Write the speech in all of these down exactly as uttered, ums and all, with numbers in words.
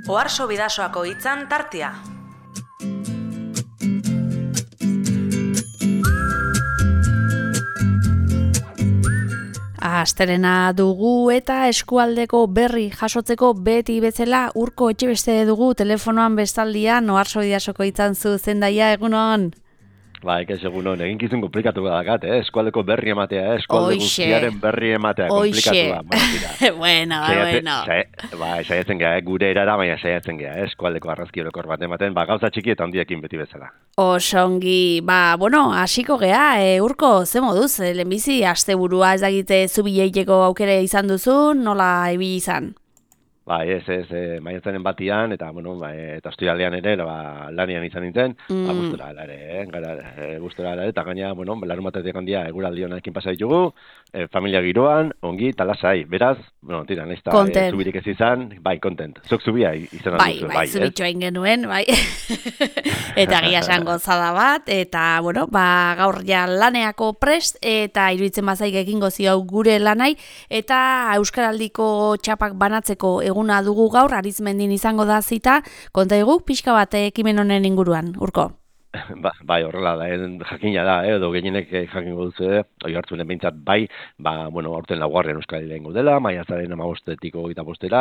Oharso Bidasoako hitzan tartea. Astelena dugu eta eskualdeko berri jasotzeko beti bezala Urko Etxebeste dugu telefonoan bestaldian. Oharso Bidasoko hitzan zuzendaia, egunon. Ba, ekez egunon, egin kizun komplikatu badakat, eh? Eskualdeko berri ematea, eh? Eskualde guztiaren berri ematea, komplikatu da. Bueno, bueno. Ba, saiatzen geha, eh? Gure erara, baina saiatzen geha, eh? Eskualdeko arrazki orokor bat ematen, ba, gauza txiki eta handiekin beti bezala. Osongi, ba, bueno, hasiko geha, e, Urko, ze moduz, lehenbizi, asteburua ez dagite zubileiteko aukera izan duzu, nola ibili izan? Ba, ez, ez, e, maiatzaren batian, eta, bueno, ba, eta ostiralean ere, ba, lanian izan nintzen, mm. ba, gustora ala ere, eh? Gara, e, gustora ala ere, eta gaina, bueno, larun batetik handia eguraldi honekin pasa ditugu, e, familia giroan, ongi, talasai, beraz, bueno, tira, nahiz eta e, zubirik ez izan, bai, content. Zok zubia izan bai, duzu, bai, bai, zubitxo egin genuen, bai, eta gia esan gozada bat, eta, bueno, ba, gaur ja laneako prest, eta iruditzen bazaik egingo zio gure lanai, eta Euskaraldiko txapak banatzeko eguna dugu gaur, Arizmendin izango da zita, konta egu, pixka bat ekimen honen inguruan, Urko? Ba, bai, horrela da, jakina da, eh, edo gehienek jakingo duzu, eh, oi hartzunen behintzat bai, ba, bueno, aurten laugarren Euskaraldia ingo dela, maiatzaren hamabostetik hogeita bostera,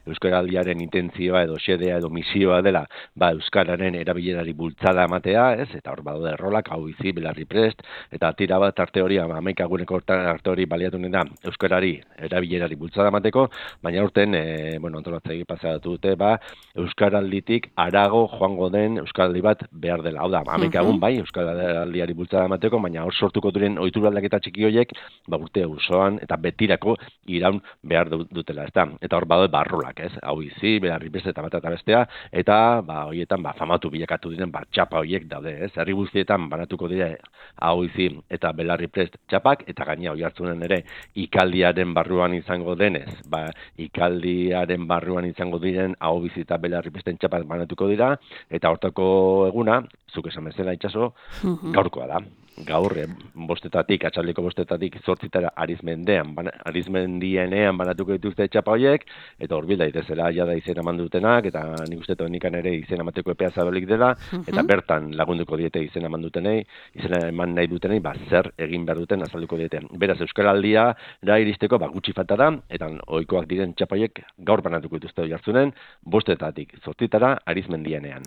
Euskaraldiaren intentzioa edo xedea edo misioa dela, ba, Euskararen erabilerari bultzada ematea, ez, eta hor badaude errolak, hau bizi, belarri prest, eta tira bat arte hori, hamaika guneko arte hori baliatu da, Euskarari erabilerari bultzada emateko, baina aurten, e, bueno, antolatzegi pasatu dute, ba, Euskaralditik arago joango den Euskaraldi bat behar dela, hau da, hamaika egun bai, Euskaraldiari bultzada emateko, baina hor sortuko diren ohitura aldaketa txiki horiek, ba, urte osoan eta betirako iraun behar dutela, ezta? Eta hor badaude barrolak, ez? Hau bizi, belarri beste eta bat eta bestea, eta ba horietan ba famatu bilakatu diren ba txapa horiek daude, ez? Herri guztietan banatuko dira hau bizi eta belarri prest txapak, eta gaina Oiartzunen ere ikaldiaren barruan izango denez, ba ikaldiaren barruan izango diren hau bizi eta belarri presten txapak banatuko dira, eta hortako eguna zuk esan bezala itxaso, gaurkoa da. Gaur, eh, bostetatik, atxaldeko bostetatik zortzitara Arizmendean, ban, Arizmendienean banatuko dituzte txapa horiek, eta hor bilda itezela jada izena mandutenak, eta nik uste nikan ere izena emateko epea zabalik dela, eta bertan lagunduko diete izena mandutenei, izena eman nahi dutenei, ba, zer egin behar duten azalduko diete. Beraz, Euskaraldia da iristeko, ba, gutxi falta da, eta ohikoak diren txapa horiek gaur banatuko dituzte Oiartzunen, bostetatik zortzitara Arizmendienean.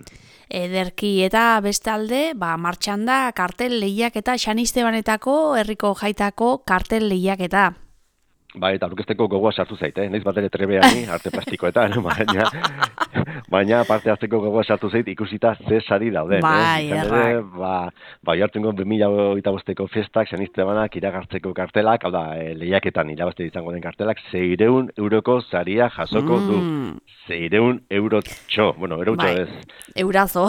Ederki, eta bestalde, ba, martxan da kartel lehiak eta Xanistebanetako herriko jaitako kartel lehiaketa. Bai, eta aurkezteko gogoa sartu zaite, eh? Naiz bat ere trebeani, arte plastikoetan, baina, baina parte hartzeko gogoa sartu zait ikusita ze sari dauden. Bai, eh? Ere, ba, ba, jartzen bi mila hogeita bosteko festak, Xanistebanak, iragartzeko kartelak, hau da, e, lehiaketan irabazte izango den kartelak, seiehun euroko saria jasoko mm. du. Seiehun eurotxo, bueno, eurotxo bai. ez. Eurazo.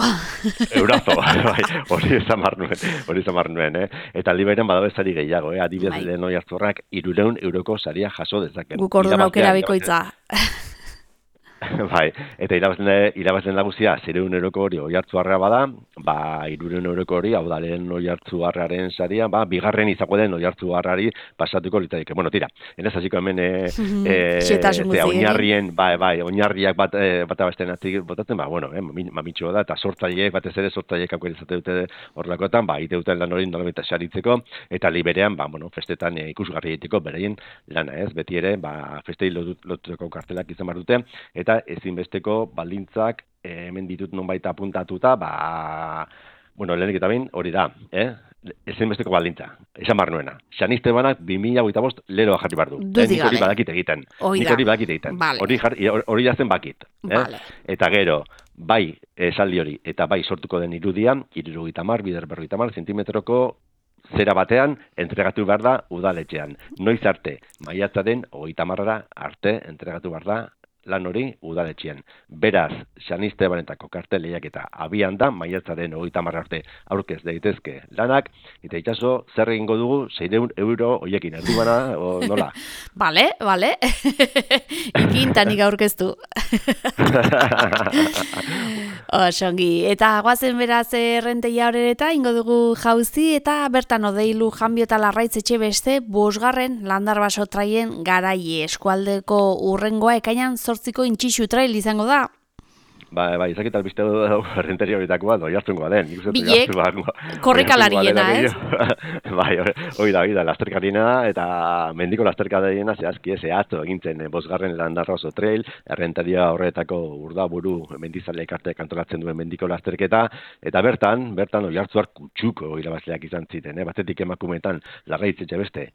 Eurazo, bai, hori zamar nuen, hori zamar nuen, eh? Eta liberen badabe sari gehiago, eh? Adibidez bai. Lehen Oiartzurrak hirurehun euroko saria jaso dezaken. Guk orduan aukera bikoitza. Bai, eta irabazten, irabazten nagusia seiehun euroko hori Oiartzuarra bada, ba hirurehun euroko hori, hau da lehen Oiartzuarraren saria, ba bigarren izango den Oiartzuarrari pasatuko litzateke. Bueno, tira, enez hasiko hemen eh eh oinarrien, bai, bai, oinarriak bat eh, bata besten atzik botatzen, ba bueno, eh mamitxoa da eta sortzaileek batez ere sortzaileek aukera izate dute horlakoetan, ba ite duten lan hori nolabait saritzeko eta liberean, ba bueno, festetan eh, ikusgarri egiteko beraien lana, ez? Beti ere, ba festei lotutako kartelak izan bar dute eta ezinbesteko baldintzak eh, hemen ditut nonbait apuntatuta, ba bueno, lehenik eta behin hori da, eh? Ezinbesteko baldintza, esan bar nuena. Xanistebanak bi mila hogeita bost leroa jarri bar du. Eh, nik hori badakit egiten. Nik hori badakit egiten. Vale. Hori jarri, hori jazen bakit. Eh? Vale. Eta gero, bai esaldi hori, eta bai sortuko den irudian, hirurogeita hamar, bider berrogeita hamar zentimetroko zera batean entregatu behar da udaletxean. Noiz arte, maiatzaren hogeita hamarra arte entregatu behar da lan hori udaletxean. Beraz, Xanistebanetako kartel lehiaketa abian da, maiatzaren hogeita hamar arte aurkez daitezke lanak, eta itxaso, zer egingo dugu seiehun euro hoiekin, erdibana, o nola? Bale, bale, ikintanik aurkeztu. Osongi, eta guazen beraz errenteia horreta, ingo dugu jauzi, eta bertan odeilu janbio eta larraitz etxe beste, bosgarren landarbaso traien garai eskualdeko urrengoa ekainan zortziko intxixu trail izango da. Bai, bai, izakit albiste errenteri horietakoa, doi hartzungoa den. Bilek, korrikalariena, ez? Bai, hori da, hori da, lasterkarina, eta mendiko lasterkarina zehazki ez atzo egintzen bosgarren Landarra oso trail, errentaria horretako urdaburu mendizale ekartek antolatzen duen mendiko lasterketa, eta bertan, bertan oi hartzuar kutsuko irabazleak izan ziten, eh? Batetik emakumeetan larraitzetxe beste,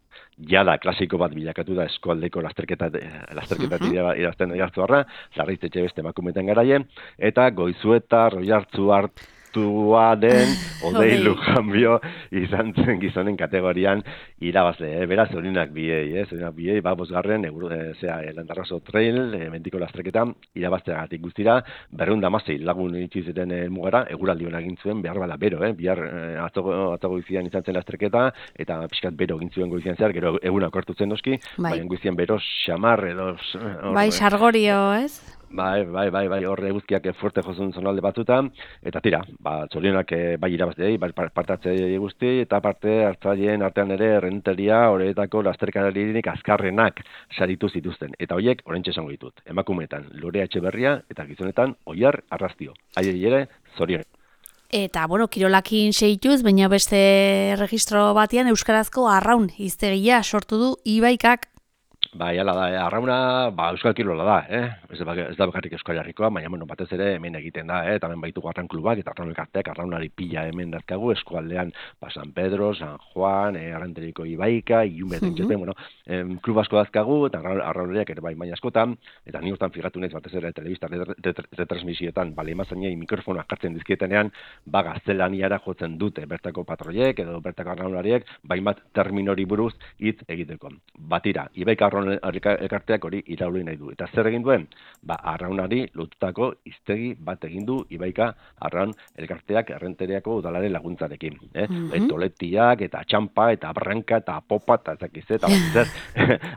jada klasiko bat bilakatu da eskualdeko lasterketa, lasterketatik uh -huh. irazten oi hartzuarra, larraitzetxe beste emakumeetan garaien, eta Goizueta, Roiartzu hartua den Odei Lujanbio izan zen gizonen kategorian irabazle, eh? Beraz, horinak biei, eh? Horinak biei, ba, bosgarren, e, zera, Landarrazo Trail, e, mendiko lasterketa, irabazteagatik guztira, berreun damasei lagun itxizeten e, mugara, eguraldi honak egin zuen, behar bala bero, eh? Bihar e, atzo goizian izan zen lasterketa, eta pixkat bero egin zuen goizian zehar, gero egunak hartu zen noski, bai. Baina goizian bero xamar edo... Or, bai, sargorio, ez? Bai, bai, bai, bai, horre guztiak fuerte jozun zonalde batzutan, eta tira, ba, txorionak bai irabaztei, bai partatzei guzti, eta parte hartzaileen artean ere errenteria horretako lasterkaririk azkarrenak saritu zituzten. Eta horiek, orentxe esango ditut, emakumeetan Lorea Etxeberria, eta gizonetan Oiar Arrastio. Haiei ere, zorion. Eta, bueno, kirolakin seituz, baina beste registro batean Euskarazko arraun hiztegia sortu du Ibaikak. Bai, ala da, eh? Arrauna, ba, euskal kirola da, eh? Ez da, ez da bakarrik Euskal Herrikoa, baina, bueno, batez ere hemen egiten da, eh? Eta hemen baitu arraun klubak, eta arraun elkarteak, arraunari pila hemen dazkagu, eskualdean, ba, San Pedro, San Juan, eh, Arranteriko Ibaika, Iunbet, uh -huh. bueno, em, klub asko dazkagu, eta arraunariak ere bai baina askotan, eta ni hortan figatu naiz batez ere telebista retransmisioetan, bale, emazainei mikrofonoak jartzen dizkietenean, ba, gaztelaniara jotzen dute, bertako patroiek, edo bertako arraunariek, baimat terminori buruz hitz egiteko. Batira, Ibaika arraun elkarteak hori irauli nahi du. Eta zer egin duen? Ba, arraunari lotutako hiztegi bat egin du Ibaika arraun elkarteak errenteriako udalaren laguntzarekin. Eh? Mm -hmm. Toletiak, eta txampa, eta branka, eta popa, eta ezakiz, eta bat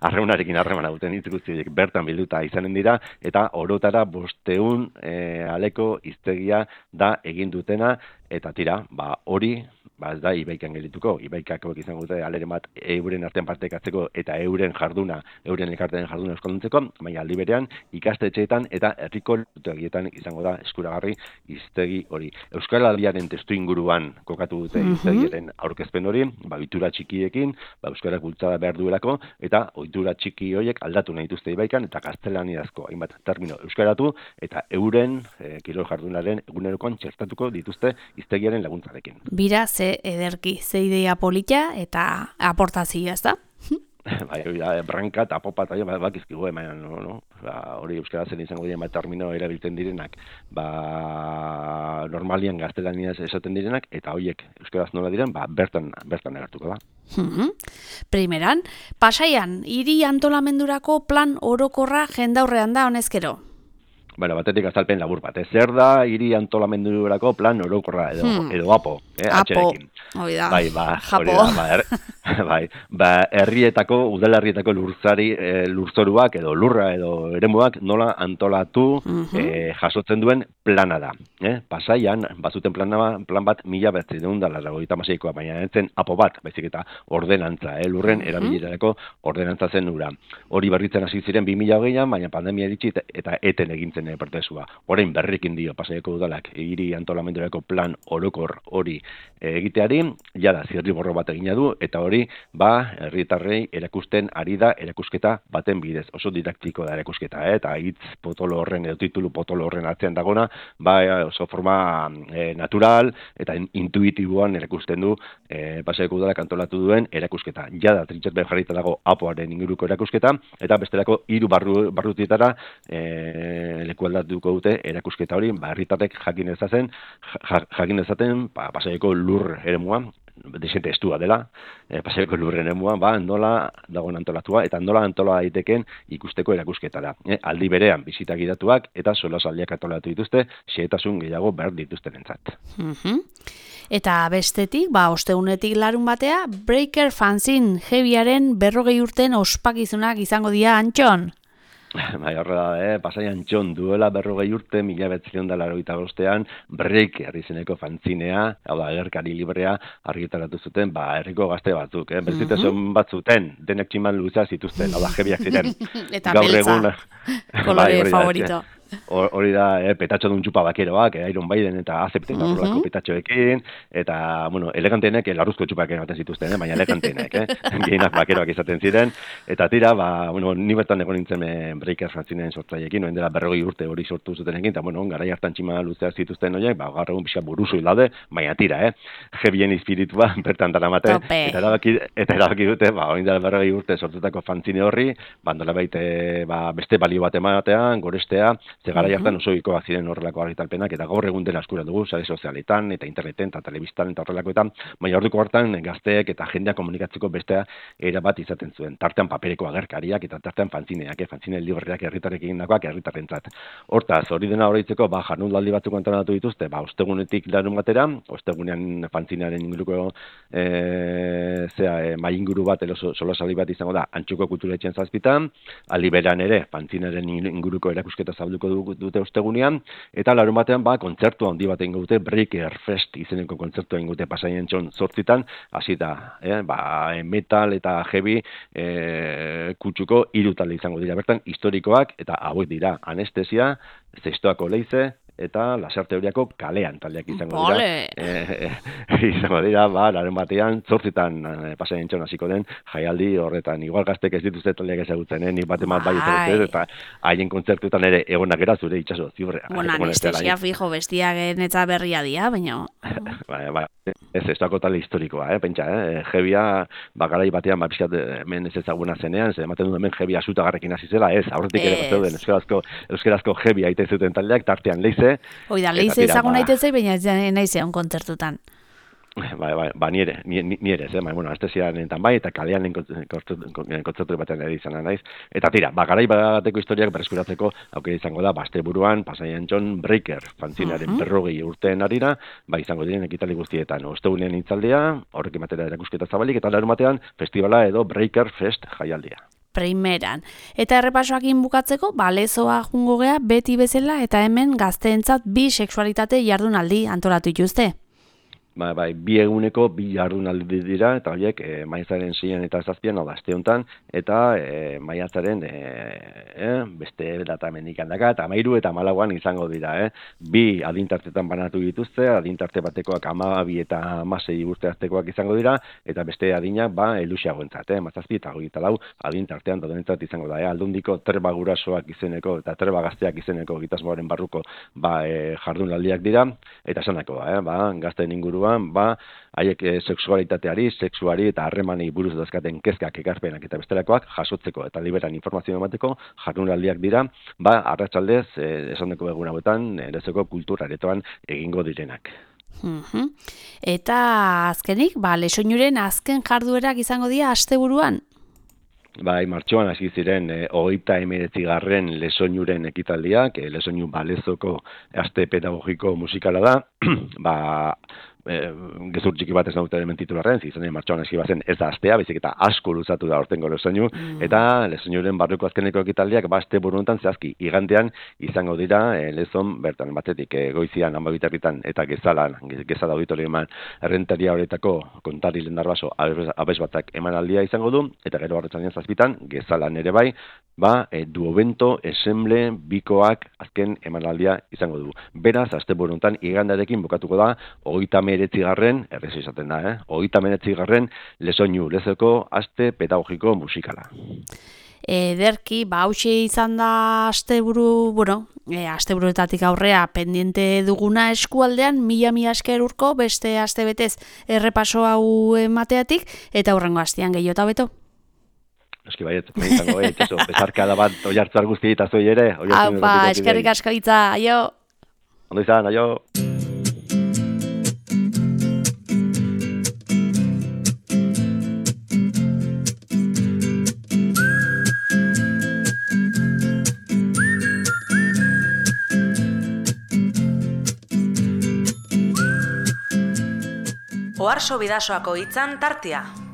arraunarekin harremana duten hitz guztiek bertan bilduta izanen dira, eta orotara bosteun e, aleko hiztegia da egin dutena, eta tira, ba, hori, ba ez da Ibaikan gelituko, Ibaikako izango dute aleren bat euren artean partekatzeko eta euren jarduna, euren elkarteen jarduna euskalduntzeko, baina aldi berean ikastetxeetan eta herriko lutegietan izango da eskuragarri hiztegi hori. Euskaraldiaren testu inguruan kokatu dute hiztegiaren aurkezpen hori, ba ohitura txikiekin, ba euskarak bultzada behar duelako, eta ohitura txiki horiek aldatu nahi dituzte Ibaikan eta gaztelaniazko hainbat termino euskaratu eta euren e, kirol jardunaren egunerokoan txertatuko dituzte hiztegiaren laguntzarekin. Bira, ze ederki, ze idea polita eta aportazioa, ez da? Bai, ja, branka eta popa eta ba, bakizkigu, baina no, no? Ba, hori euskarazen izango dira bat termino erabiltzen direnak, ba, normalian gaztelaniaz esaten direnak, eta horiek euskaraz nola diren, ba, bertan, bertan agertuko da. Mm-hmm. Primeran, Pasaian, hiri antolamendurako plan orokorra jendaurrean da honezkero? Bueno, batetik azalpen labur bat. Zer da hiri antolamendurako plan orokorra edo, hmm. edo apo, eh, apo. Hoi da, bai, ba, japo. Da, ba, er, bai, ba, herrietako, udalerrietako lurzari, e, lurzoruak edo lurra edo eremuak nola antolatu mm-hmm. e, jasotzen duen plana da. Eh? Pasaian, bazuten plana, plan bat mila bertzi deun da larragoita maseikoa, baina entzen apo bat, baizik eta ordenantza, eh? Lurren mm-hmm. erabilerako ordenantza zen ura. Hori berritzen hasi ziren bi mila hogeian, baina pandemia eritxi eta eten egintzen pertesua. Orain berrikin dio Pasaiako udalak hiri antolamendurako plan orokor hori egiteari, jada zirriborro bat egina du, eta hori, ba, herritarrei erakusten ari da erakusketa baten bidez. Oso didaktiko da erakusketa, eh? Eta hitz potolo horren, edo titulu potolo horren atzean dagona, ba, oso forma e, natural eta intuitiboan erakusten du e, Pasaiako udalak antolatu duen erakusketa. Jada trintxerbe jarrita dago apoaren inguruko erakusketa, eta bestelako hiru barru, barrutietara e, leku aldatuko dute erakusketa hori, ba, herritarrek jakin ezazen, jakin ezaten, ba, Pasaiako lur eremua, desente estua dela, e, Pasaiako lur eremua, ba, nola dagoen antolatua, eta nola antola daiteken ikusteko erakusketa da. E, aldi berean, bisita gidatuak, eta solasaldiak antolatu dituzte, xehetasun gehiago behar dituztenentzat. Mm-hmm. Eta bestetik, ba, osteunetik larun batea, Breaker Fanzine Heavyaren berrogei urten ospakizunak izango dira, Antxon? Bai, horrela, eh? Pasaian txon duela berrogei urte, mila betzilion da larogeita bostean, Breaker izeneko fanzinea, hau da, agerkari librea, argitaratu zuten, ba, herriko gazte batzuk, eh? Berzitasun batzuten, denek tximan luza zituzten, hau da, jebiak ziren. Eta beltza, kolore favorito. hori da, eh, petatxo dun txupa bakeroak, eh, Iron Maiden eta azepten Mhm. horrelako petatxoekin, eta, bueno, eleganteenek larruzko txupak ematen zituzten, eh, baina eleganteenek, eh, gehienak bakeroak izaten ziren, eta tira, ba, bueno, ni bertan egon nintzen eh, Breakers fanzinen sortzaileekin, noen dela berrogei urte hori sortu zutenekin, eta, bueno, garai hartan txima luzeak zituzten horiek, ba, gaur egun pixka buruzu hilaude, baina tira, eh, jebien izpiritua bertan daramate, Tope. eta erabaki, eta erabaki dute, ba, orain dela berrogei urte sortutako fanzine horri, ba, nolabait, eh, ba, beste balio bat ematean, gorestea, ze garai hartan oso ikoak ziren horrelako argitalpenak, eta gaur egun dela eskura dugu, sare sozialetan, eta interneten, eta telebistan, eta horrelakoetan, baina orduko hartan gazteek eta jendea komunikatzeko bestea era bat izaten zuen. Tartean papereko agerkariak, eta tartean fanzineak, eh, fanzine liborreak herritarrek egindakoak herritarrentzat. Hortaz, hori dena horreitzeko, ba, jardunaldi batzuk antolatu dituzte, ba, ostegunetik larun batera, ostegunean fanzinearen inguruko e, zea, e, mai inguru bat, elo solasaldi bat izango da, Antxuko kulturetxean zazpitan, aliberan ere, fanzinaren inguruko erakusketa zabalduko dute ostegunean, eta larun batean, ba, kontzertu handi bat egingo dute, Breaker Fest izeneko kontzertu egingo dute Pasaien txon zortzitan, hasi da, eh, ba, metal eta heavy e, kutsuko hiru talde izango dira bertan, historikoak, eta hauek dira, anestesia, Zestoako leize, eta Lasarte Horiako kalean taldeak izango dira. E, e, izango dira, ba, larun batean, zortzitan e, Pasaien txon hasiko den jaialdi horretan. Igual gaztek ez dituzte taldeak ezagutzen, eh? Nik bat emat bai ezagutzen, eta haien kontzertuetan ere egonak era zure itxaso ziurrea. Bueno, anestesia fijo bestiagen eta berria dia, baina... Bai, bai, ez ez dago talde historikoa, eh, pentsa, eh, jebia, bagarai batean, ba, pixkat, hemen ez ezaguna zenean, ze ematen du hemen jebia zutagarrekin hasi zela, ez, aurretik ere bat zeuden, euskerazko, euskerazko jebia aite zuten taldeak, tartean leize. Hoi da, leize ezagun aitezei, baina ez nahi zeon kontzertutan. Bai, bai, ba, nire, nire, ez, eh? Bai, bueno, anestesianetan bai, eta kalean kontzertu batean ere izan naiz. Eta tira, bagarai bateko historiak berreskuratzeko aukera izango da, baste buruan, Pasaien txon Breaker, fanzinaren uh-huh. berrogei urteen arira, ba, izango diren ekitaldi guztietan. Ostegunean itzaldia, horrekin batera erakusketa zabalik, eta larun batean, festivala edo Breaker Fest jaialdia. Primeran. Eta errepasoakin bukatzeko, balezoa jungo gea beti bezala, eta hemen gazteentzat bi sexualitate jardunaldi antolatu dituzte. Ba, bai, bi eguneko bi jardunaldi dira, eta horiek e, maiatzaren seian eta zazpian, hau da, aste honetan, eta e, maiatzaren e, e, beste data mendikan daka, eta amairu eta malauan izango dira. Eh? Bi adintartetan banatu dituzte, adintarte batekoak amabi eta amasei urte artekoak izango dira, eta beste adinak, ba, elusiagoentzat, eh? mazazpi eta hori eta lau adintartean dodenentzat izango da. Eh? Aldundiko treba gurasoak izeneko, eta treba gazteak izeneko gitasmoaren barruko ba, e, jardunaldiak dira, eta esanako da, eh? ba, gazten inguruan, ba, haiek e, sexualitateari, sexuari eta harremanei buruz dazkaten kezkak, ekarpenak eta bestelakoak jasotzeko eta liberan informazio emateko jardunaldiak dira, ba, arratsaldez, e, esandeko egun hauetan, erezeko kulturaretoan egingo direnak. Uh-huh. Eta azkenik, ba, Lesoinuren azken jarduerak izango dira asteburuan? Bai, martxoan hasi ziren e, hogeita hemeretzigarren Lesoinuren ekitaldiak, e, Lesoinu balezoko aste pedagogiko musikala da, ba, e, gezur txiki bat ez nauten hemen titularren, zizanen martxoan hasi bazen ez da astea, baizik eta asko luzatu da ortengo Lesoinu, mm. eta Lesoinuren barruko azkeneko ekitaldiak baste buruntan zehazki, igandean izango dira e, lezon bertan batetik e, goizian, hanbabitarritan eta gezalan, gezala auditorioan errentaria horretako kontari lendarbaso abez batak emanaldia izango du, eta gero arretzanean zazpitan, gezalan ere bai, ba, e, duobento, esemble, bikoak azken emanaldia izango du. Beraz, azte buruntan, igandarekin bukatuko da, hogeita meretzigarren, errez izaten da, eh? hogeita meretzigarren Lesoinu, lezeko aste pedagogiko musikala. Ederki, ba, hauxe izan da asteburu, bueno, e, asteburuetatik aurrea pendiente duguna eskualdean, mila mila esker urko, beste aste betez errepaso hau emateatik, eta hurrengo astean gehiota beto. Eski baiet, izango, eh, itxaso, bezarkada bat oiartzar guzti eta zoi ere. Apa, eskerrik asko hitza, aio. Ondo izan, aio. Oharso Bidasoako hitzan tartea.